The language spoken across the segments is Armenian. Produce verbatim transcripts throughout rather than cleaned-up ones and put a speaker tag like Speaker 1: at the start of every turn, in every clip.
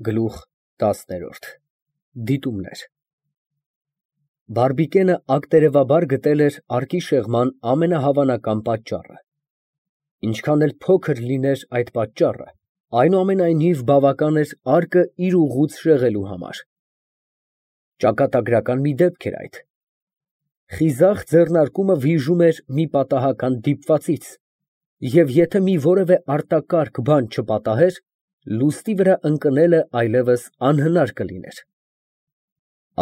Speaker 1: Գլուխ տասներորդ Դիտումներ Բարբիկենը ակտերևաբար գտել էր արկի շեղման ամենահավանական պատճառը։ Ինչքան էլ փոքր լիներ այդ պատճառը, այնուամենայնիվ բավական էր արկը իր ուղուց շեղելու համար։ Ճակատագրական մի դեպք էր այդ։ Խիզախ ձեռնարկումը վիժում էր մի պատահական դիպվածից, և եթե մի որևէ արտակարգ բան չպատահեր, լուստի վրա ընկնելը այլևս անհնար կլիներ։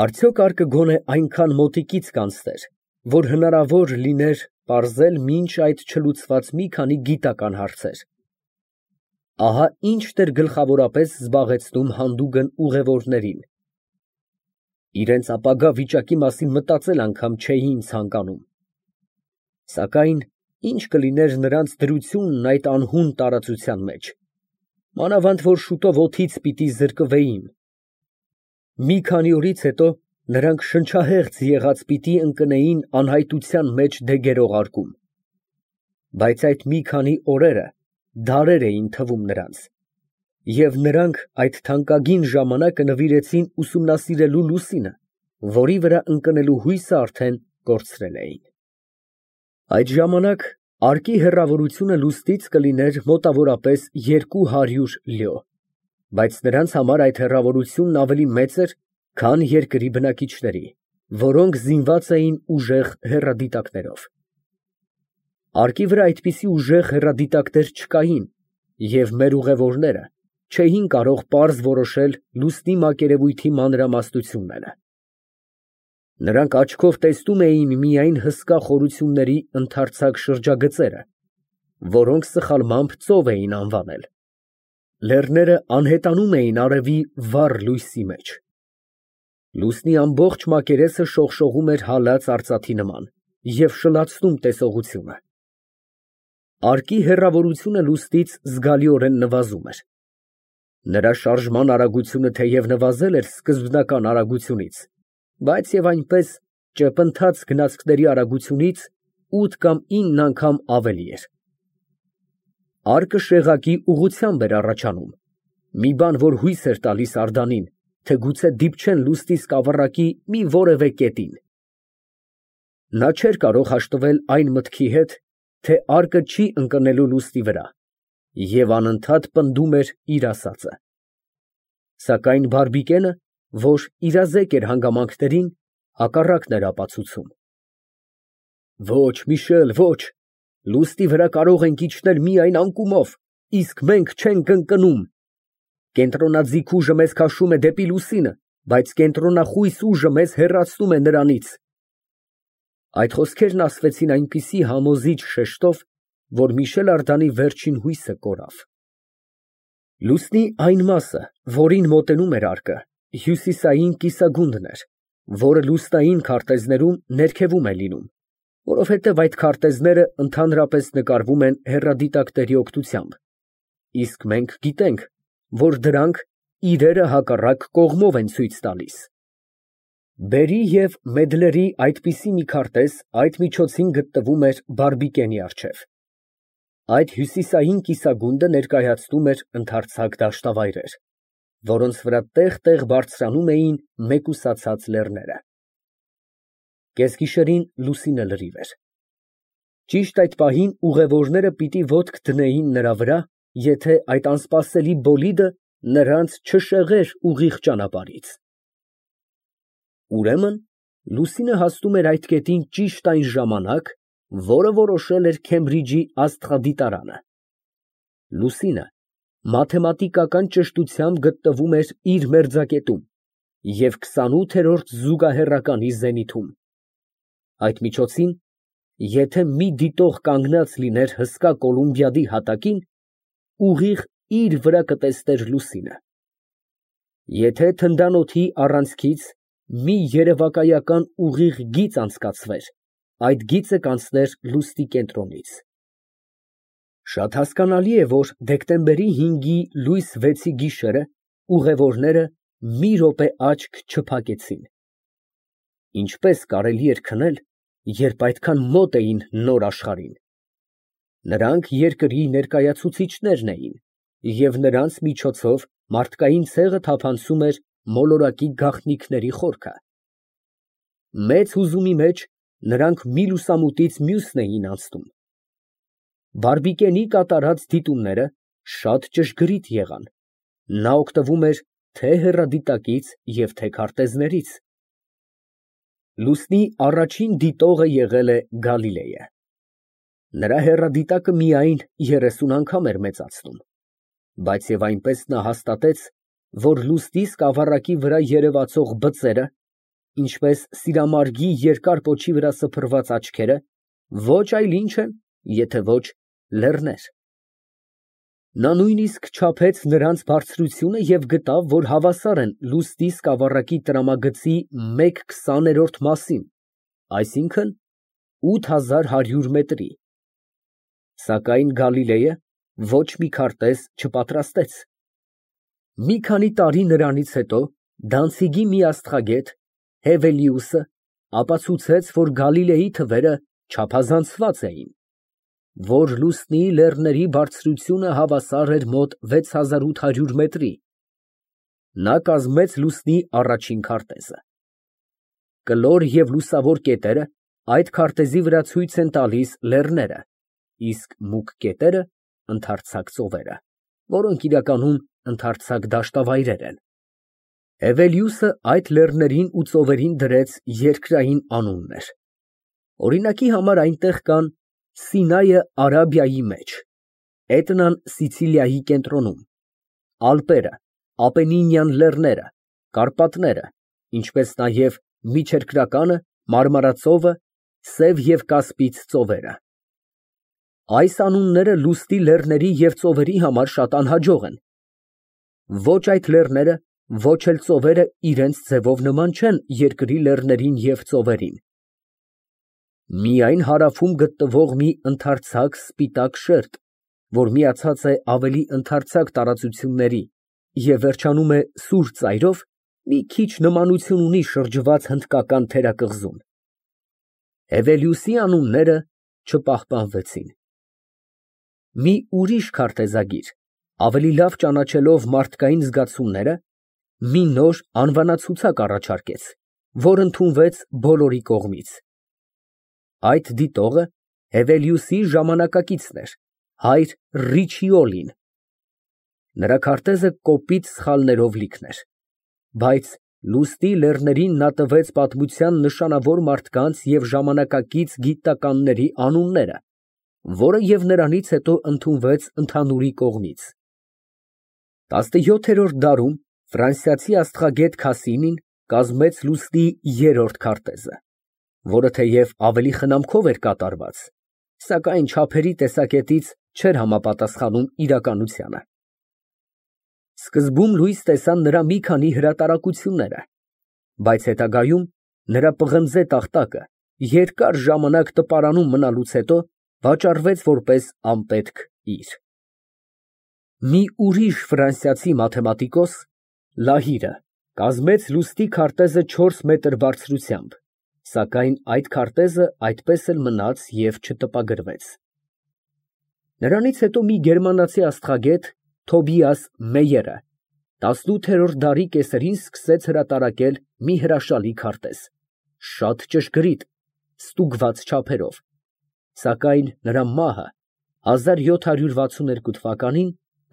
Speaker 1: Արդյոք արկը գոնե այնքան մոտիկից կանցներ, որ հնարավոր լիներ պարզել մինչ այդ չլուծված մի քանի գիտական հարցեր։ Ահա ինչն էր գլխավորապես զբաղեցնում հանդուգն ուղևորներին։ Իրենց ապագա վիճակի մասին մտածել անգամ չէին ցանկանում։ Սակայն ինչ կլիներ նրանց դրությունն այդ անհուն տարածության մեջ, մանավանդ որ շուտով օդից պիտի զրկվեին։ Մի քանի օրից հետո նրանք շնչահեղձ եղած պիտի ընկնեին անհայտության մեջ դեգերող արկում։ Բայց այդ մի քանի օրերը դարեր էին թվում նրանց, և նրանք այդ թանկագին ժամանակը նվիրեցին ուսումնասիրելու Լուսինը, որի վրա ընկնելու հույսը արդեն կորցրել էին։ Այդ ժամանակ արկի հեռավորությունը լուստից կլիներ մոտավորապես երկու հարյուր լյո, բայց նրանց համար այդ հեռավորությունն ավելի մեծ էր, քան երկրի բնակիչների, որոնք զինված էին ուժեղ հեռադիտակներով։ Արկի վրա այդպիսի ուժեղ հեռադիտակներ չկային, և մեր ուղևորները չէին կարող պարզ որոշել լուսնի մակերևույթի մանրամասնությունները։ Նրանք աչքով տեսնում էին միայն հսկա խորությունների ընդարձակ շրջագծերը, որոնք սխալմամբ ծով էին անվանել։ Լեռները անհետանում էին արևի վառ լույսի մեջ։ Լուսնի ամբողջ մակերեսը շողշողում էր հալած արծաթի նման և շլացնում տեսողությունը։ Արկի հեռավորությունը լուսնից զգալիորեն նվազում էր։ Նրա շարժման արագությունը թեև նվազել էր սկզբնական արագությունից, բայց և այնպես ճեպընթաց գնացքների արագությունից ութ կամ ինն անգամ ավելի էր։ Արկը շեղակի ուղղությամբ էր առաջանում, մի բան, որ հույս էր տալիս Անդրանին, թե գուցե դիպչեն լուսնի սկավառակի մի որևէ կետին։ Նա չէր կարող հաշտվել այն մտքի հետ, թե արկը չի ընկնելու լուսնի վրա, և անընդհատ պնդում էր իր ասածը։ Սակայն Բարբիկենը, որ իրազեկ էր հանգամանքներին, հակառակն էր ապացուցում։ Ոչ, Միշել, ոչ, լուսնի վրա կարող ենք իջնել միայն անկումով, իսկ մենք չենք ընկնում։ Կենտրոնաձիգ ուժը մեզ քաշում է դեպի լուսինը, բայց կենտրոնախույս ուժը մեզ հեռացնում է նրանից։ Այդ խոսքերն ասվեցին այնպիսի համոզիչ շեշտով, որ Միշել Անդրանի վերջին հույսը կորավ։ Լուսնի այն մասը, որին մոտենում էր արկը, հյուսիսային կիսագունդն էր, որը լուսնային քարտեզներում ներքևում է լինում, որովհետև այդ քարտեզները ընդհանրապես նկարվում են հեռադիտակների օգնությամբ, իսկ մենք գիտենք, որ դրանք իրերը հակառակ կողմով են ցույց տալիս։ Բերի և Մեդլերի այդպիսի մի քարտեզ այդ միջոցին գտնվում էր Բարբիկենի առջև։ Այդ հյուսիսային կիսագունդը ներկայացնում էր ընդարձակ դաշտավայրեր, որոնց վրա տեղ֊տեղ բարձրանում էին մեկուսացած լեռները։ Կեսգիշերին լուսինը լրիվ էր։ Ճիշտ այդ պահին ուղևորները պիտի ոտք դնեին նրա վրա, եթե այդ անսպասելի բոլիդը նրանց չշեղեր ուղիղ ճանապարհից։ Ուրեմն լուսինը հասնում էր այդ կետին ճիշտ այն ժամանակ, որը որոշել էր Քեմբրիջի աստղադիտարանը։ Լուսինը մաթեմատիկական ճշտությամբ գտնվում էր իր մերձակետում և քսանութերորդ զուգահեռականի զենիթում։ Այդ միջոցին, եթե մի դիտող կանգնած լիներ հսկա Կոլումբիադի հատակին, ուղիղ իր վրա կտեսներ լուսինը։ Եթե թնդանոթի առանցքից մի երևակայական ուղիղ գիծ անցկացվեր, այդ գիծը կանցներ լուսնի կենտրոնից։ Շատ հասկանալի է, որ դեկտեմբերի հինգի լույս վեցի գիշերը ուղևորները մի րոպե աչք չփակեցին։ Ինչպես կարելի էր քնել, երբ այդքան մոտ էին նոր աշխարհին։ Նրանք երկրի ներկայացուցիչներն էին, և նրանց միջոցով մարդկային ցեղը թափանցում էր մոլորակի գաղտնիքների խորքը։ Մեծ հուզումի մեջ նրանք մի լուսամուտից մյուսն էին անցնում։ Բարբիկենի կատարած դիտումները շատ ճշգրիտ եղան, նա օգտվում էր թե հեռադիտակից և թե քարտեզներից։ Լուսնի առաջին դիտողը եղել է Գալիլեյը։ Նրա հեռադիտակը միայն երեսուն անգամ էր մեծացնում, բայց և այնպես նա հաստատեց, որ լուսնի սկավառակի վրա երևացող բծերը, ինչպես սիրամարգի երկար պոչի վրա սփռված աչքերը, ոչ այլ ինչ են, եթե ոչ լեռներ։ Նա նույնիսկ չափեց նրանց բարձրությունը և գտավ, որ հավասար են լուսնի սկավառակի տրամագծի մեկ քսաներորդ մասին, այսինքն՝ ութ հազար հարյուր մետրի։ Սակայն Գալիլեյը ոչ մի քարտեզ չպատրաստեց։ Մի քանի տարի նրանից հետո Դանցիգի մի աստղագետ Հևելիուսը ապացուցեց, որ Գալիլեյի թվերը չափազանցված էին, որ լուսնի լեռների բարձրությունը հավասար էր մոտ վեց հազար ութ հարյուր մետրի։ Նա կազմեց լուսնի առաջին քարտեզը։ Կլոր և լուսավոր կետերը այդ քարտեզի վրա ցույց են տալիս լեռները, իսկ մուգ կետերը՝ ընդարձակ ծովերը, որոնք իրականում ընդարձակ դաշտավայրեր են։ Հևելիուսը այդ լեռներին ու ծովերին դրեց երկրային անուններ։ Օրինակի համար այնտեղ կան Սինայը Արաբիայի մեջ, Էտնան Սիցիլիայի կենտրոնում, Ալպերը, Ապենինյան լեռները, Կարպատները, ինչպես նաև Միջերկրականը, Մարմարածովը, Սև և Կասպից ծովերը։ Այս անունները լուսնի լեռների և ծովերի համար շատ անհաջող են։ Ոչ այդ լեռները, ոչ էլ ծովերը իրենց ձևով նման չեն երկրի լեռներին և ծովերին։ Միայն հարավում գտնվող մի ընդարձակ սպիտակ շերտ, որ միացած է ավելի ընդարձակ տարածությունների և վերջանում է սուր ծայրով, մի քիչ նմանություն ունի շրջված հնդկական թերակղզուն։ Հևելիուսի անունները չպահպանվեցին։ Մի ուրիշ քարտեզագիր, ավելի լավ ճանաչելով մարդկային զգացումները, մի նոր անվանացուցակ առաջարկեց, որ ընդունվեց բոլորի կողմից։ Այդ դիտողը Հևելիուսի ժամանակակիցն էր, հայր Ռիչիոլին։ Նրա քարտեզը կոպիտ սխալներով լիքն էր, բայց լուսնի լեռներին նա տվեց պատմության նշանավոր մարդկանց և ժամանակակից գիտնականների անունները, որը և նրանից հետո ընդունվեց ընդհանուրի կողմից։ Տասնյոթերորդ դարում ֆրանսիացի աստղագետ Քասինին կազմեց լուսնի երրորդ քարտեզը, որը թեև ավելի խնամքով էր կատարված, սակայն չափերի տեսակետից չէր համապատասխանում իրականությանը։ Սկզբում լույս տեսան նրա մի քանի հրատարակությունները, բայց հետագայում նրա պղնձե տախտակը երկար ժամանակ տպարանում մնալուց հետո վաճառվեց որպես անպետք իր։ Մի ուրիշ ֆրանսիացի մաթեմատիկոս Լահիրը կազմեց լուսնի քարտեզը չորս մետր բարձրությամբ, սակայն այդ քարտեզը այդպես էլ մնաց և չտպագրվեց։ Նրանից հետո մի գերմանացի աստղագետ Թոբիաս Մեյերը տասնութերորդ դարի կեսերին սկսեց հրատարակել մի հրաշալի քարտեզ, շատ ճշգրիտ, ստուգված չափերով, սակայն նրա մահը հազար յոթ հարյուր վաթսուններկու թվականին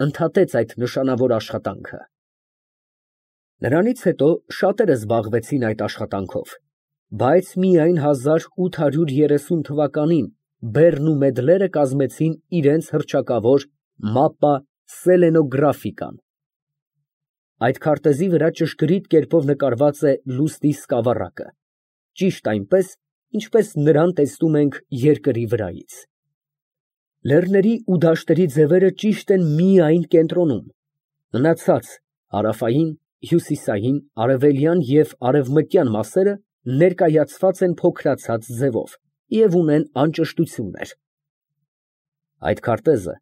Speaker 1: ընդհատեց այդ նշանավոր աշխատանքը։ Նրանից հետո շատերը զբաղվեցին այդ աշխատանքով, բայց միայն հազար ութ հարյուր երեսուն թվականին Բեռն ու Մեդլերը կազմեցին իրենց հռչակավոր Mappa Selenographica-ն։ Այդ քարտեզի վրա ճշգրիտ կերպով նկարված է լուսնի սկավառակը, ճիշտ այնպես, ինչպես նրան տեսնում ենք երկրի վրայից։ Լեռների ու դաշտերի ձևերը ճիշտ են միայն կենտրոնում, մնացած հարավային, հյուսիսային, արևելյան և արևմտյան մասերը ներկայացված են փոքրացած ձևով և ունեն անճշտություններ։ Այդ քարտեզը,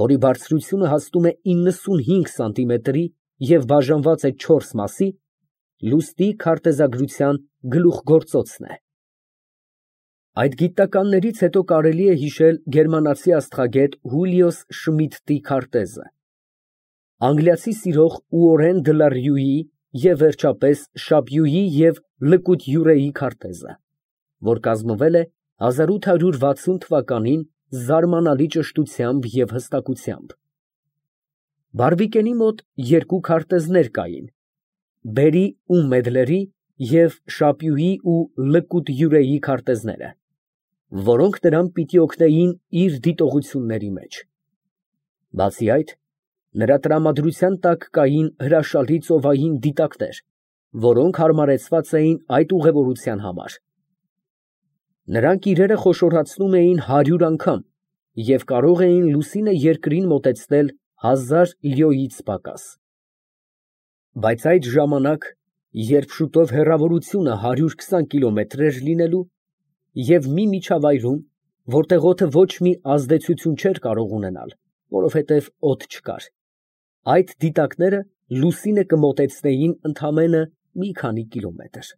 Speaker 1: որի բարձրությունը հասնում է իննսունհինգ սանտիմետրի և բաժանված է չորս մասի, լուսնի քարտեզագրության գլուխգործոցն է։ Այդ գիտնականներից հետո կարելի է հիշել գերմանացի աստղագետ Հուլիոս Շմիդտի քարտեզը։ Անգլիացի սիրող Ուորեն դը լա Ռյուի և վերջապես Շապյուի և Լկուտ քարտեզը, որ կազմվել է հազար ութ հարյուր վաթսուն թվականին զարմանալի ճշտությամբ և հստակությամբ։ Բարբիկենի մոտ երկու քարտեզներ կային. Բերի ու Մեդլերի և Շապյուի ու Լկուտ քարտեզները, որոնք նրան պիտի օգնեին իր դիտողությունների մեջ։ Բացի այդ, նրա տրամադրության տակ կային հրաշալի ծովային դիտակներ, որոնք հարմարեցված էին այդ ուղևորության համար։ Նրանք իրերը խոշորացնում էին հարյուր անգամ և կարող էին լուսինը երկրին մոտեցնել հազար լյոյից պակաս։ Բայց այդ ժամանակ, երբ շուտով հեռավորությունը հարյուր քսան կիլոմետր էր լինելու, և մի միջավայրում, որտեղ օդը ոչ մի ազդեցություն չէր կարող ունենալ, որովհետև օդ չկար, այդ դիտակները լուսինը կմոտեցնեին ընդամենը մի քանի կիլոմետր։